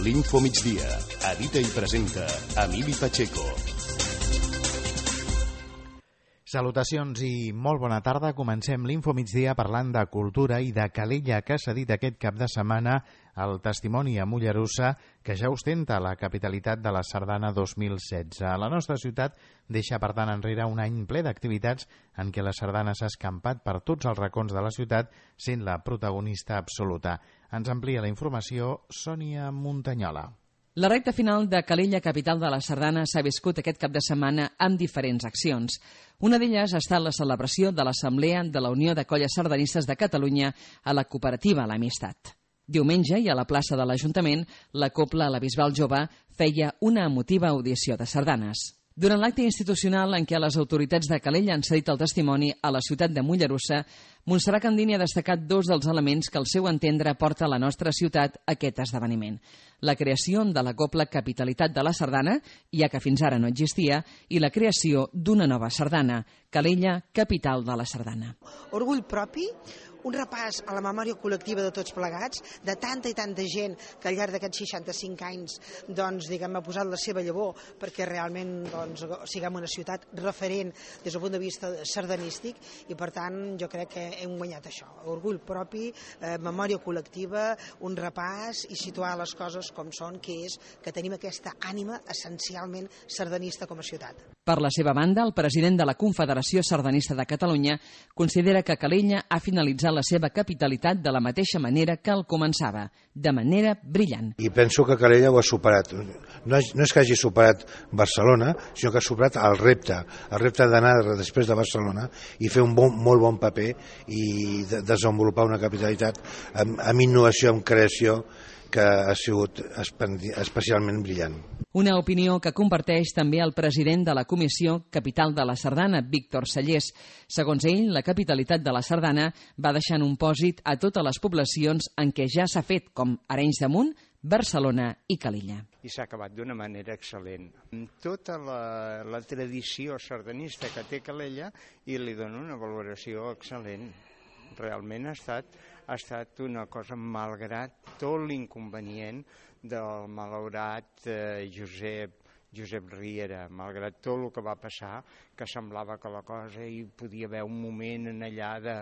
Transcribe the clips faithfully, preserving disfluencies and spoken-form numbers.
L'Info Migdia. Edita i presenta Emili Pacheco. Salutacions i molt bona tarda. Comencem l'Info Migdia parlant de cultura i de Calella, que s'ha dit aquest cap de setmana el testimoni a Mollerussa que ja ostenta la capitalitat de la Sardana dos mil setze. La nostra ciutat deixa, per tant, enrere un any ple d'activitats en què la sardana s'ha escampat per tots els racons de la ciutat, sent la protagonista absoluta. Ens amplia la informació Sònia Muntanyola. La recta final de Calella, capital de la Sardana, s'ha viscut aquest cap de setmana amb diferents accions. Una d'elles ha estat la celebració de l'Assemblea de la Unió de Colles Sardanistes de Catalunya a la cooperativa L'Amistat. Diumenge, i a la plaça de l'Ajuntament, la Cobla La Bisbal Jove feia una emotiva audició de sardanes. Durant l'acte institucional en què les autoritats de Calella han cedit el testimoni a la ciutat de Mollerussa, Montserrat Candini ha destacat dos dels elements que al seu entendre porta a la nostra ciutat aquest esdeveniment. La creació de la Cobla Capitalitat de la Sardana, ja que fins ara no existia, i la creació d'una nova sardana, Calella, capital de la Sardana. Orgull propi, un repàs a la memòria col·lectiva de tots plegats, de tanta i tanta gent que al llarg d'aquests seixanta-cinc anys doncs, diguem, ha posat la seva llavor perquè realment doncs, siguem una ciutat referent des del punt de vista sardanístic i per tant jo crec que hem guanyat això. Orgull propi, eh, memòria col·lectiva, un repàs i situar les coses com són, que és que tenim aquesta ànima essencialment sardanista com a ciutat. Per la seva banda, el president de la Confederació Sardanista de Catalunya considera que Calella ha finalitzat la seva capitalitat de la mateixa manera que el començava, de manera brillant. I penso que Calella ho ha superat. No és, no és que hagi superat Barcelona, sinó que ha superat el repte, el repte d'anar després de Barcelona i fer un bon, molt bon paper i de, desenvolupar una capitalitat amb, amb innovació, amb creació, que ha sigut especialment brillant. Una opinió que comparteix també el president de la Comissió Capital de la Sardana, Víctor Sallés. Segons ell, la capitalitat de la Sardana va deixant un pòsit a totes les poblacions en què ja s'ha fet, com Arenys de Munt, Barcelona i Calella. I s'ha acabat d'una manera excel·lent. Amb tota la, la tradició sardanista que té Calella i li dono una valoració excel·lent. Realment ha estat, ha estat una cosa malgrat tot l'inconvenient del malaurat eh, Josep, Josep Riera, malgrat tot el que va passar, que semblava que la cosa hi podia haver un moment en allà de,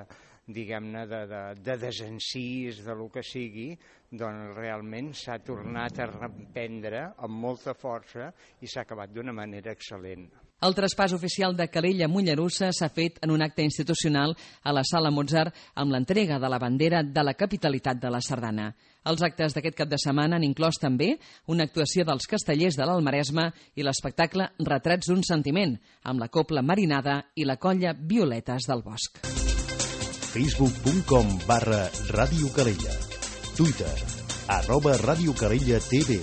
diguem-ne, de, de, de desencís, de lo que sigui, doncs realment s'ha tornat a reprendre amb molta força i s'ha acabat d'una manera excel·lent. El traspàs oficial de Calella a Mollerussa s'ha fet en un acte institucional a la Sala Mozart amb l'entrega de la bandera de la capitalitat de la Sardana. Els actes d'aquest cap de setmana han inclòs també una actuació dels castellers de l'Almaresme i l'espectacle Retrats d'un sentiment, amb la Cobla Marinada i la colla Violetes del Bosc. facebook punt com barra Ràdio Calella. Twitter, arroba Ràdio Calella T V.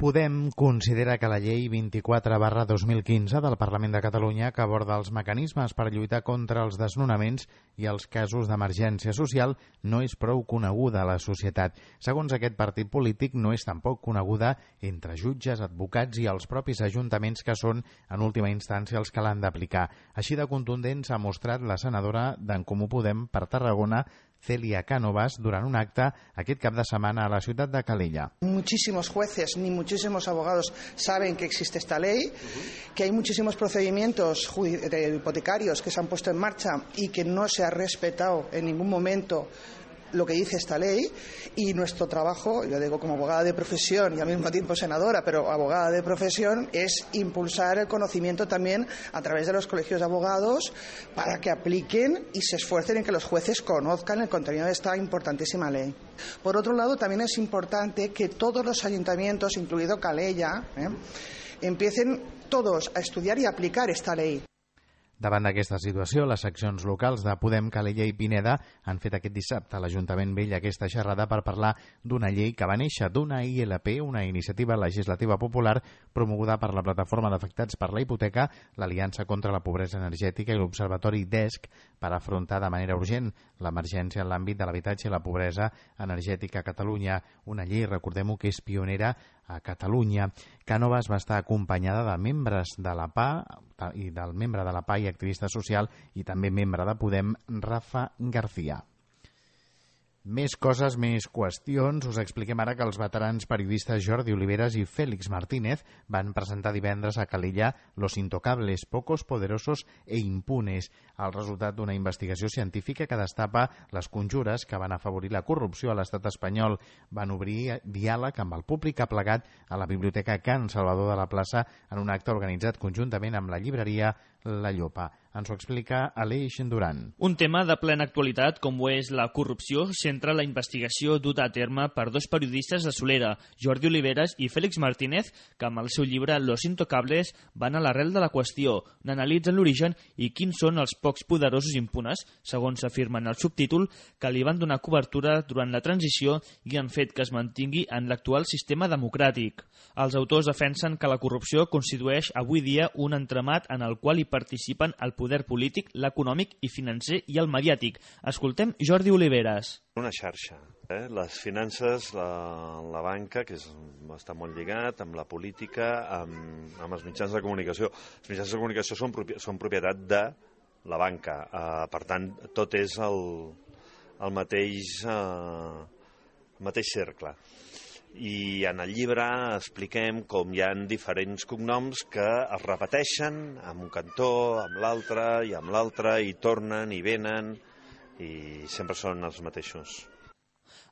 Podem considera que la llei vint-i-quatre barra dos mil quinze del Parlament de Catalunya, que aborda els mecanismes per lluitar contra els desnonaments i els casos d'emergència social, no és prou coneguda a la societat. Segons aquest partit polític, no és tampoc coneguda entre jutges, advocats i els propis ajuntaments que són, en última instància, els que l'han d'aplicar. Així de contundent s'ha mostrat la senadora d'en Comú Podem per Tarragona, Celia Cánovas, durant un acte aquest cap de setmana a la ciutat de Calella. Muchísimos jueces ni muchísimos abogados saben que existe esta ley, uh-huh. que hay muchísimos procedimientos hipotecarios que se han puesto en marcha y que no se ha respetado en ningún momento lo que dice esta ley, y nuestro trabajo, yo digo como abogada de profesión y al mismo tiempo senadora, pero abogada de profesión, es impulsar el conocimiento también a través de los colegios de abogados para que apliquen y se esfuercen en que los jueces conozcan el contenido de esta importantísima ley. Por otro lado, también es importante que todos los ayuntamientos, incluido Calella, ¿eh? empiecen todos a estudiar y a aplicar esta ley. Davant d'aquesta situació, les seccions locals de Podem, Calella i Pineda han fet aquest dissabte a l'Ajuntament Vell aquesta xerrada per parlar d'una llei que va néixer d'una I L P, una iniciativa legislativa popular promoguda per la Plataforma d'Afectats per la Hipoteca, l'Aliança contra la Pobresa Energètica i l'Observatori D E S C per afrontar de manera urgent l'emergència en l'àmbit de l'habitatge i la pobresa energètica a Catalunya. Una llei, recordem-ho, que és pionera a Catalunya. Cánovas va estar acompanyada de membres de la P A i del membre de la P A i activista social i també membre de Podem, Rafa García. Més coses, més qüestions. Us expliquem ara que els veterans periodistes Jordi Oliveras i Félix Martínez van presentar divendres a Calella Los Intocables, Pocos, Poderosos e Impunes, el resultat d'una investigació científica que destapa les conjures que van afavorir la corrupció a l'estat espanyol. Van obrir diàleg amb el públic aplegat a la Biblioteca Can Salvador de la Plaça en un acte organitzat conjuntament amb la llibreria La Llopa. Ens ho explica Aleix Duran. Un tema de plena actualitat, com ho és la corrupció, centra la investigació duta a terme per dos periodistes de Solera, Jordi Oliveras i Félix Martínez, que amb el seu llibre Los Intocables van a l'arrel de la qüestió, n'analitzen l'origen i quins són els pocs poderosos impunes, segons s'afirma en el subtítol, que li van donar cobertura durant la transició i han fet que es mantingui en l'actual sistema democràtic. Els autors defensen que la corrupció constitueix avui dia un entramat en el qual hi participen el poder polític, l'econòmic i financer i el mediàtic. Escoltem Jordi Oliveras. Una xarxa. Eh? Les finances, la, la banca, que és, està molt lligat amb la política, amb, amb els mitjans de comunicació. Els mitjans de comunicació són, són propietat de la banca. Eh, per tant, tot és el, el mateix, eh, mateix cercle. I en el llibre expliquem com hi ha diferents cognoms que es repeteixen amb un cantó, amb l'altre i amb l'altre, i tornen i venen, i sempre són els mateixos.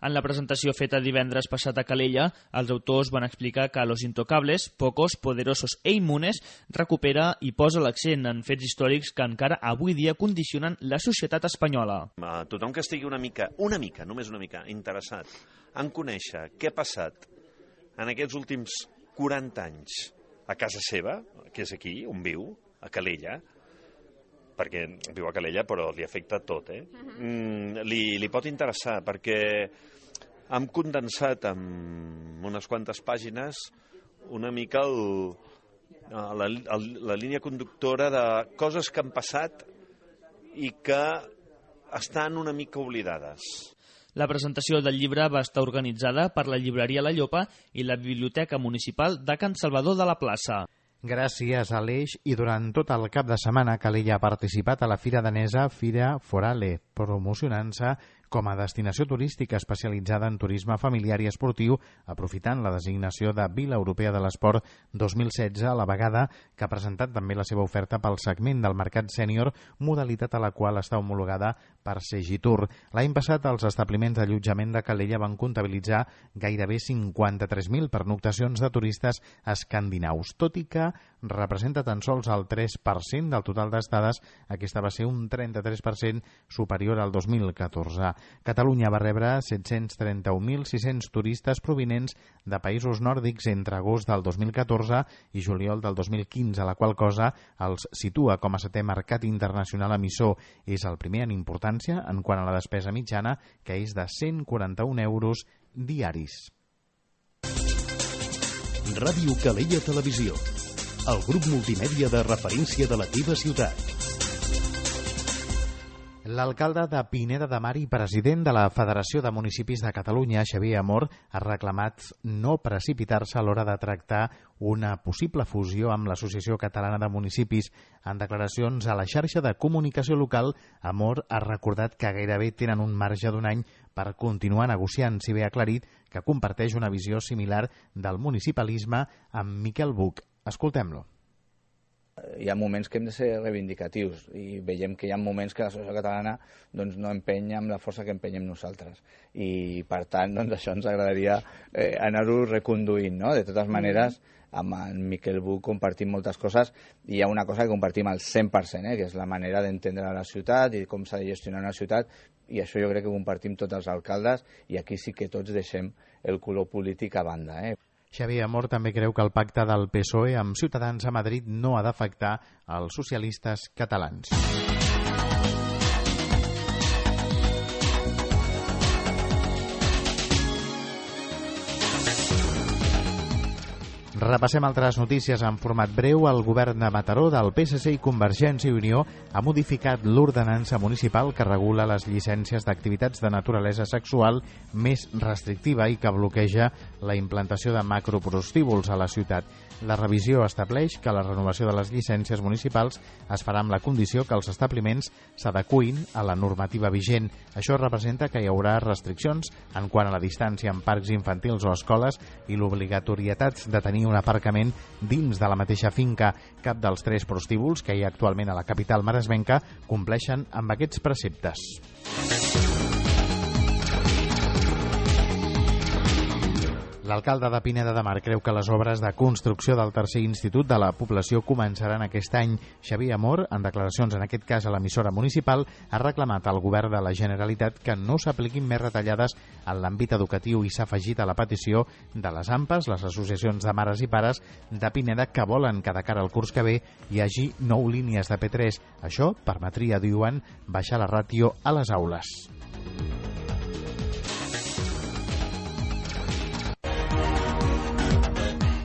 En la presentació feta divendres passat a Calella, els autors van explicar que Los Intocables, Pocos, Poderosos e Immunes recupera i posa l'accent en fets històrics que encara avui dia condicionen la societat espanyola. Tothom que estigui una mica, una mica, només una mica, interessat en conèixer què ha passat en aquests últims quaranta anys a casa seva, que és aquí, on viu, a Calella, perquè viu a Calella però li afecta tot, eh? Mm, li, li pot interessar, perquè hem condensat en unes quantes pàgines una mica el, la, el, la línia conductora de coses que han passat i que estan una mica oblidades. La presentació del llibre va estar organitzada per la llibreria La Llopa i la Biblioteca Municipal de Can Salvador de la Plaça. Gràcies, Aleix. I durant tot el cap de setmana, Calella ha participat a la fira danesa Fira Forale, promocionant-se com a destinació turística especialitzada en turisme familiar i esportiu, aprofitant la designació de Vila Europea de l'Esport dos mil setze, a la vegada que ha presentat també la seva oferta pel segment del mercat sènior, modalitat a la qual està homologada per Segitur. L'any passat, els establiments d'allotjament de Calella van comptabilitzar gairebé cinquanta-tres mil pernoctacions de turistes escandinaus, tot i que representa tan sols el tres per cent del total d'estades. Aquesta va ser un trenta-tres per cent superior al dos mil catorze. Catalunya va rebre set-cents trenta-un mil sis-cents turistes provinents de països nòrdics entre agost del dos mil catorze i juliol del dos mil quinze, la qual cosa els situa com a setè mercat internacional emissor. És el primer en importància en quant a la despesa mitjana, que és de cent quaranta-un euros diaris. Ràdio Calella Televisió, el grup multimèdia de referència de la teva ciutat. L'alcalde de Pineda de Mar i president de la Federació de Municipis de Catalunya, Xavier Amor, ha reclamat no precipitar-se a l'hora de tractar una possible fusió amb l'Associació Catalana de Municipis. En declaracions a la xarxa de comunicació local, Amor ha recordat que gairebé tenen un marge d'un any per continuar negociant, si bé ha aclarit que comparteix una visió similar del municipalisme amb Miquel Buch. Escoltem-lo. Hi ha moments que hem de ser reivindicatius i veiem que hi ha moments que la societat catalana doncs, no empenya amb la força que empenyem nosaltres i per tant doncs, això ens agradaria eh, anar-ho reconduint, no? De totes maneres, amb en Miquel Buch compartim moltes coses i hi ha una cosa que compartim al cent per cent, eh, que és la manera d'entendre la ciutat i com s'ha de gestionar una ciutat, i això jo crec que compartim tots els alcaldes i aquí sí que tots deixem el color polític a banda, eh? Xavier Amor també creu que el pacte del P S O E amb Ciutadans a Madrid no ha d'afectar els socialistes catalans. Repassem altres notícies en format breu. El govern de Mataró, del P S C i Convergència i Unió, ha modificat l'ordenança municipal que regula les llicències d'activitats de naturalesa sexual més restrictiva i que bloqueja la implantació de macroprostíbuls a la ciutat. La revisió estableix que la renovació de les llicències municipals es farà amb la condició que els establiments s'adecuïn a la normativa vigent. Això representa que hi haurà restriccions en quant a la distància en parcs infantils o escoles i l'obligatorietat de tenir un aparcament dins de la mateixa finca. Cap dels tres prostíbuls que hi ha actualment a la capital maresmenca compleixen amb aquests preceptes. L'alcalde de Pineda de Mar creu que les obres de construcció del tercer institut de la població començaran aquest any. Xavier Amor, en declaracions en aquest cas a l'emissora municipal, ha reclamat al govern de la Generalitat que no s'apliquin més retallades en l'àmbit educatiu i s'ha afegit a la petició de les A M P As, les associacions de mares i pares de Pineda, que volen que de cara al curs que ve hi hagi nou línies de P tres. Això permetria, diuen, baixar la ràtio a les aules.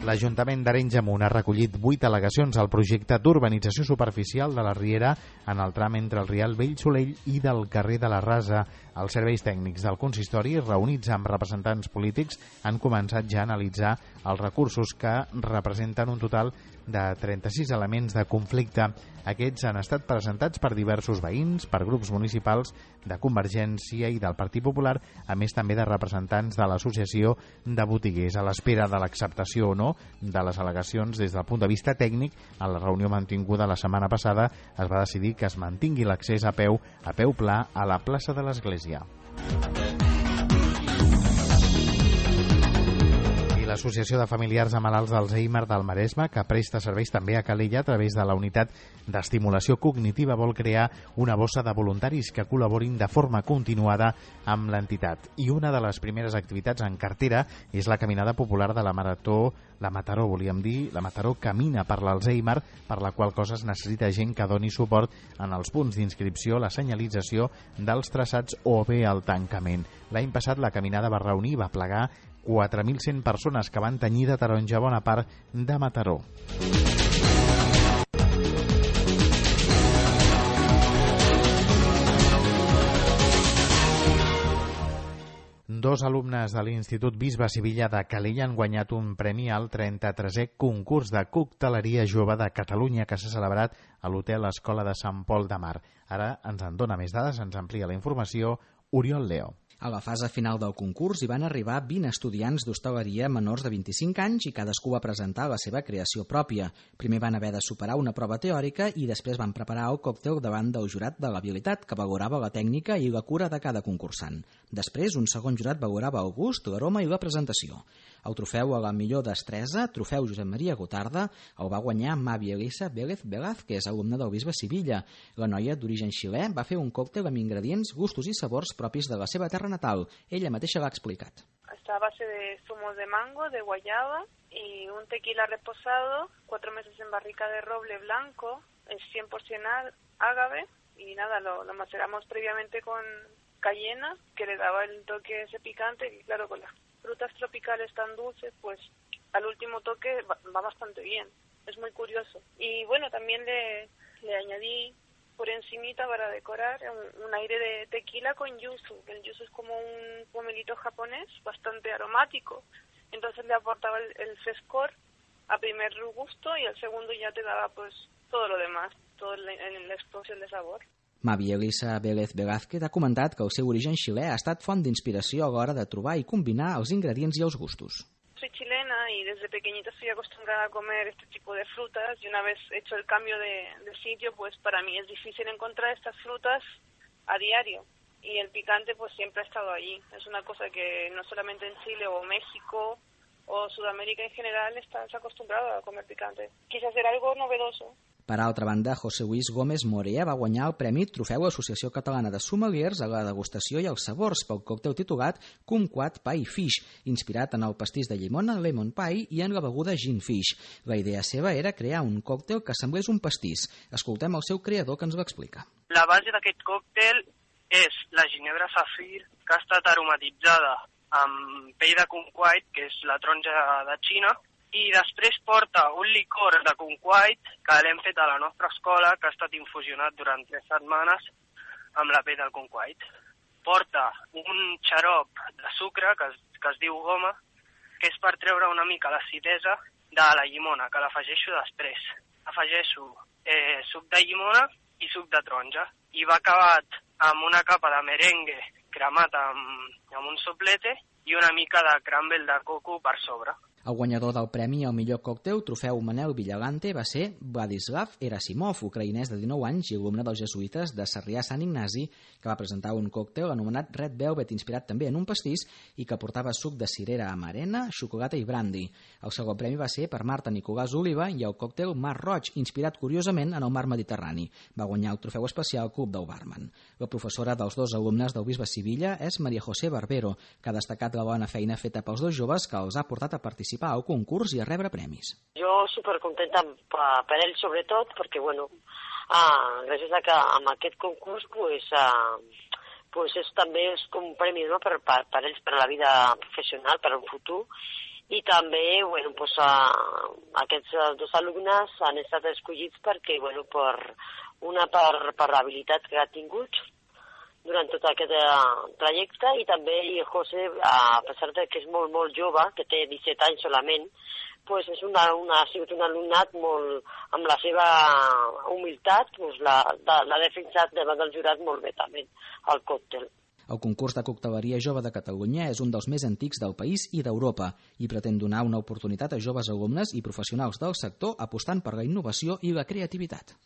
L'Ajuntament d'Arenys de Munt ha recollit vuit al·legacions al projecte d'urbanització superficial de la Riera en el tram entre el Rial Vell Solell i del carrer de la Rasa. Els serveis tècnics del consistori, reunits amb representants polítics, han començat ja a analitzar els recursos que representen un total de trenta-sis elements de conflicte. Aquests han estat presentats per diversos veïns, per grups municipals de Convergència i del Partit Popular, a més també de representants de l'Associació de Botiguers. A l'espera de l'acceptació o no de les al·legacions des del punt de vista tècnic, en la reunió mantinguda la setmana passada es va decidir que es mantingui l'accés a peu a peu pla a la plaça de l'Església. L'Associació de Familiars de Malalts d'Alzheimer del Maresme, que presta serveis també a Calella a través de la unitat d'estimulació cognitiva, vol crear una bossa de voluntaris que col·laborin de forma continuada amb l'entitat. I una de les primeres activitats en cartera és la caminada popular de la Marató, la Mataró, volíem dir, la Mataró Camina per l'Alzheimer, per la qual cosa es necessita gent que doni suport en els punts d'inscripció, la senyalització dels traçats o bé el tancament. L'any passat la caminada va reunir, va plegar quatre mil cent persones que van tenyir de taronja bona part de Mataró. Dos alumnes de l'Institut Bisbe Sivilla de Calella han guanyat un premi al trenta-tresè concurs de cocteleria jove de Catalunya que s'ha celebrat a l'Hotel Escola de Sant Pol de Mar. Ara ens en dona més dades, ens amplia la informació Oriol Leo. A la fase final del concurs hi van arribar vint estudiants d'hostaleria menors de vint-i-cinc anys i cadascú va presentar la seva creació pròpia. Primer van haver de superar una prova teòrica i després van preparar el còctel davant del jurat de l'habilitat que valorava la tècnica i la cura de cada concursant. Després, un segon jurat valorava el gust, l'aroma i la presentació. El trofeu a la millor destresa, trofeu Josep Maria Gotarda, el va guanyar Mavi Elisa Vélez Velázquez, alumna del Bisbe Sivilla. La noia, d'origen xilè, va fer un còctel amb ingredients, gustos i sabors propis de la seva terra natal. Ella mateixa l'ha explicat. Está a base de zumos de mango, de guayaba y un tequila reposado, cuatro meses en barrica de roble blanco, es cien por ciento ágave y nada, lo, lo maceramos previamente con cayena, que le daba el toque ese picante y claro, con las frutas tropicales tan dulces, pues al último toque va, va bastante bien, es muy curioso. Y bueno, también le, le añadí por encimita para decorar un, un aire de tequila con yuzu. El yuzu es como un pomelito japonés, bastante aromático, entonces le aportaba el, el frescor a primer gusto y al segundo ya te daba pues todo lo demás, toda la, la explosión de sabor. Mavi Elisa Vélez Velázquez ha comentat que el seu origen xilè ha estat font d'inspiració a l'hora de trobar i combinar els ingredients i els gustos. Soy chilena y desde pequeñita estoy acostumbrada a comer este tipo de frutas y una vez hecho el cambio de, de sitio, pues para mí es difícil encontrar estas frutas a diario y el picante pues siempre ha estado allí. Es una cosa que no solamente en Chile o México o Sudamérica en general estás acostumbrado a comer picante. Quise hacer algo novedoso. Per altra banda, José Luis Gómez Morea va guanyar el Premi Trofeu Associació Catalana de Sommeliers a la degustació i els sabors pel còctel titulat Kumquat Pie Fish, inspirat en el pastís de llimona Lemon Pie i en la beguda Gin Fish. La idea seva era crear un còctel que semblés un pastís. Escoltem el seu creador que ens ho explica. La base d'aquest còctel és la ginebra safir que ha estat aromatitzada amb pell de kumquat, que és la taronja de Xina, i després porta un licor de conquait que l'hem fet a la nostra escola, que ha estat infusionat durant tres setmanes amb la pell del conquait. Porta un xarop de sucre que es, que es diu goma, que és per treure una mica l'acidesa de la llimona, que l'afegeixo després. Afegeixo eh, suc de llimona i suc de taronja. I va acabat amb una capa de merengue cremat amb, amb un soplete i una mica de crumble de coco per sobre. El guanyador del premi al millor còctel Trofeu Manel Villalante va ser Vladislav Erasimov, ucraïnès de dinou anys i alumne dels jesuïtes de Sarrià Sant Ignasi, que va presentar un còctel anomenat Red Velvet, inspirat també en un pastís i que portava suc de cirera amarena, xocolata i brandy. El segon premi va ser per Marta Nicolàs Oliva i el còctel Mar Roig, inspirat curiosament en el mar Mediterrani. Va guanyar el trofeu especial Club del Barman. La professora dels dos alumnes del bisbe Sivilla és Maria José Barbero, que ha destacat la bona feina feta pels dos joves que els ha portat a participar al concurs i a rebre premis. Jo supercontenta per ells sobretot perquè, bueno, ah, gràcies a que amb aquest concurs pues, ah, pues és, també és com un premi, no? per, per, per ells, per a la vida professional, per un futur, i també bueno, pues, ah, aquests dos alumnes han estat escollits perquè, bueno, per, una per, per l'habilitat que ha tingut durant tot aquest uh, trajecte, i també el José, a pesar de que és molt, molt jove, que té disset anys solament, pues és una, una, ha sigut un alumnat molt, amb la seva humilitat, pues l'ha defensat davant del jurat molt bé també, el còctel. El concurs de cocteleria jove de Catalunya és un dels més antics del país i d'Europa i pretén donar una oportunitat a joves alumnes i professionals del sector apostant per la innovació i la creativitat.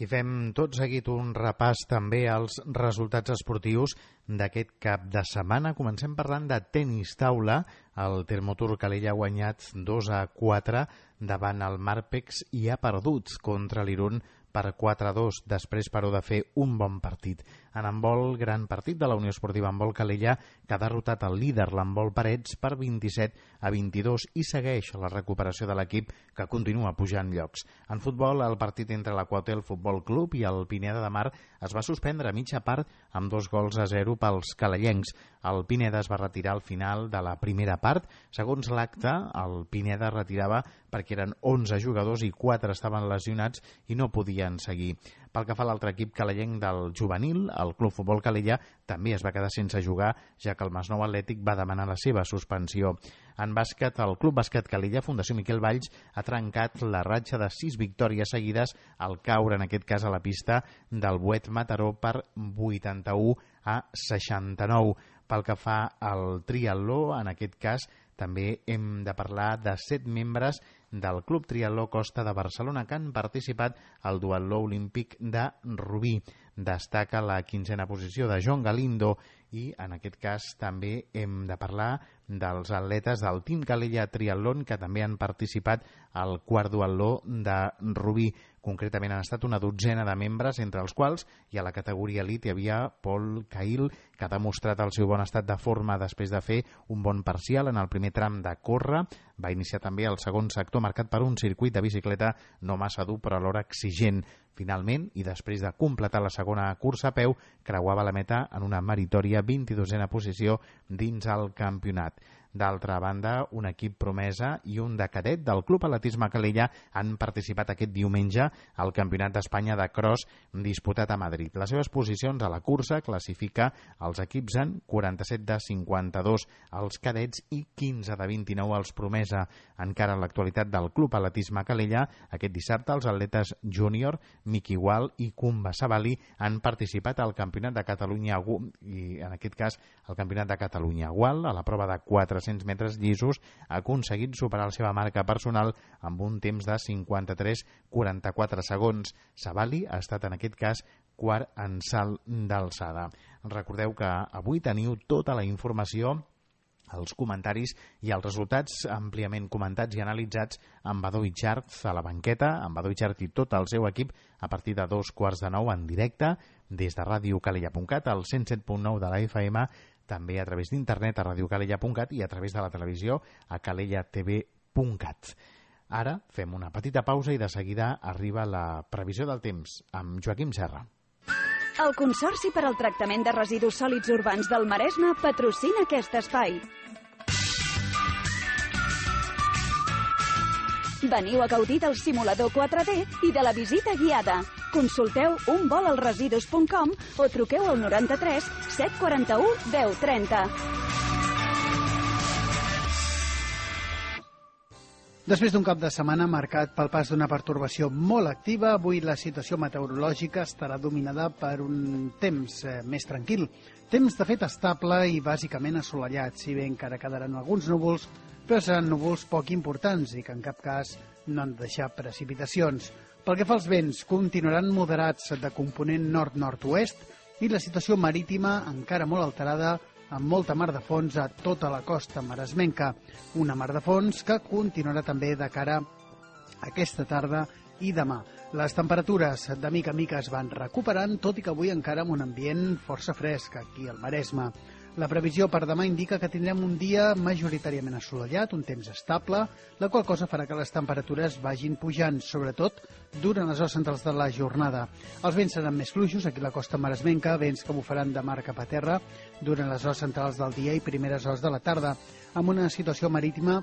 I fem tot seguit un repàs també als resultats esportius d'aquest cap de setmana. Comencem parlant de tenis taula. El Termotur Calella ha guanyat dos a quatre davant el Marpex i ha perdut contra l'Irun per quatre a dos, després però de fer un bon partit. En handbol, gran partit de la Unió Esportiva Handbol Calella, que ha derrotat el líder, l'handbol Parets, per vint-i-set a vint-i-dos i segueix la recuperació de l'equip, que continua pujant llocs. En futbol, el partit entre l'Aquatel Futbol Club i el Pineda de Mar es va suspendre a mitja part amb dos gols a zero pels calellencs. El Pineda es va retirar al final de la primera part. Segons l'acte, el Pineda retirava perquè eren onze jugadors i quatre estaven lesionats i no podien seguir. Pel que fa a l'altre equip calellenc del juvenil, el Club Futbol Calella també es va quedar sense jugar, ja que el Masnou Atlètic va demanar la seva suspensió. En bàsquet, el Club Bàsquet Calella, Fundació Miquel Valls, ha trencat la ratxa de sis victòries seguides al caure, en aquest cas a la pista del Buet Mataró, per vuitanta-u a seixanta-nou. Pel que fa al triatló, en aquest cas, també hem de parlar de set membres del Club Triatló Costa de Barcelona que han participat al duatló olímpic de Rubí. Destaca la quinzena posició de Joan Galindo i en aquest cas també hem de parlar dels atletes del Team Calella Triatlón que també han participat al quart duatló de Rubí. Concretament han estat una dotzena de membres, entre els quals i a la categoria elit hi havia Pol Cail, que ha demostrat el seu bon estat de forma després de fer un bon parcial en el primer tram de córrer. Va iniciar també el segon sector marcat per un circuit de bicicleta no massa dur però alhora exigent. Finalment, i després de completar la segona cursa a peu, creuava la meta en una meritòria vint-i-dosena posició dins el campionat. D'altra banda, un equip promesa i un de cadet del Club Atletisme Calella han participat aquest diumenge al Campionat d'Espanya de Cross disputat a Madrid. Les seves posicions a la cursa classifica els equips en quaranta-set de cinquanta-dos els cadets i quinze de vint-i-nou els promesa. Encara en l'actualitat del Club Atletisme Calella, aquest dissabte els atletes júnior Miqui Gual i Kumba Sabali han participat al Campionat de Catalunya i en aquest cas al Campionat de Catalunya. Gual, a la prova de quatre-cents metres llisos, ha aconseguit superar la seva marca personal amb un temps de cinquanta-tres coma quaranta-quatre segons. Sabali ha estat en aquest cas quart en salt d'alçada. Recordeu que avui teniu tota la informació, els comentaris i els resultats àmpliament comentats i analitzats amb Badó Itxart a la banqueta, amb Badó Itxart i tot el seu equip a partir de dos quarts de nou en directe des de ràdio calella punt cat al cent set punt nou de la F M, també a través d'internet a radiocalella punt cat i a través de la televisió a calella t v punt cat. Ara fem una petita pausa i de seguida arriba la previsió del temps amb Joaquim Serra. El Consorci per al Tractament de Residus Sòlids Urbans del Maresme patrocina aquest espai. Veniu a gaudir del simulador quatre D i de la visita guiada. Consulteu un vol al residus punt com o truqueu al noranta-tres set quaranta-u deu trenta. Després d'un cap de setmana marcat pel pas d'una pertorbació molt activa, avui la situació meteorològica estarà dominada per un temps eh, més tranquil. Temps, de fet, estable i bàsicament assolellat, si bé encara quedaran alguns núvols, però seran núvols poc importants i que en cap cas no han de deixar precipitacions. Pel que fa als vents, continuaran moderats de component nord-nord-oest i la situació marítima encara molt alterada, amb molta mar de fons a tota la costa maresmenca. Una mar de fons que continuarà també de cara a aquesta tarda i demà. Les temperatures de mica en mica es van recuperant, tot i que avui encara amb un ambient força fresc aquí al Maresme. La previsió per demà indica que tindrem un dia majoritàriament assolellat, un temps estable, la qual cosa farà que les temperatures vagin pujant, sobretot durant les hores centrals de la jornada. Els vents seran més fluixos aquí a la costa maresmenca, vents que bufaran de mar cap a terra durant les hores centrals del dia i primeres hores de la tarda, amb una situació marítima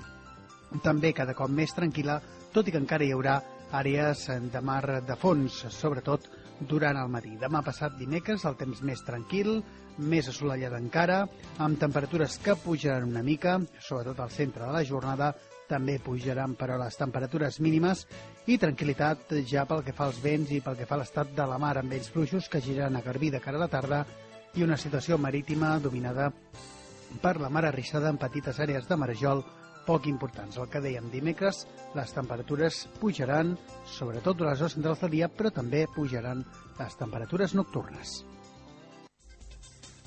també cada cop més tranquil·la, tot i que encara hi haurà àrees de mar de fons, sobretot durant el matí. Demà passat dimecres el temps més tranquil, més assolellat encara, amb temperatures que pujaran una mica, sobretot al centre de la jornada, també pujaran però les temperatures mínimes i tranquil·litat ja pel que fa als vents i pel que fa a l'estat de la mar, amb vents fluixos que giran a Garbí de cara a la tarda i una situació marítima dominada per la mar arrissada en petites àrees de marejol poc importants. El que dèiem dimecres, les temperatures pujaran, sobretot durant les hores centrals del dia, però també pujaran les temperatures nocturnes.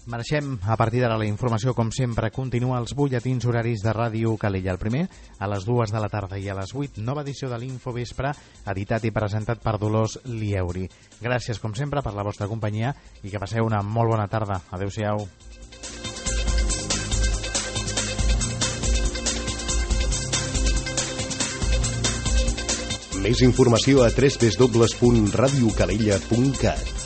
Marxem a partir d'ara la informació, com sempre, continua els butlletins horaris de Ràdio Calella. El primer, a les dues de la tarda i a les vuit, nova edició de l'Infovespre, editat i presentat per Dolors Lieuri. Gràcies, com sempre, per la vostra companyia i que passeu una molt bona tarda. Adéu-siau. Més informació a w w w punt radiocalella punt cat.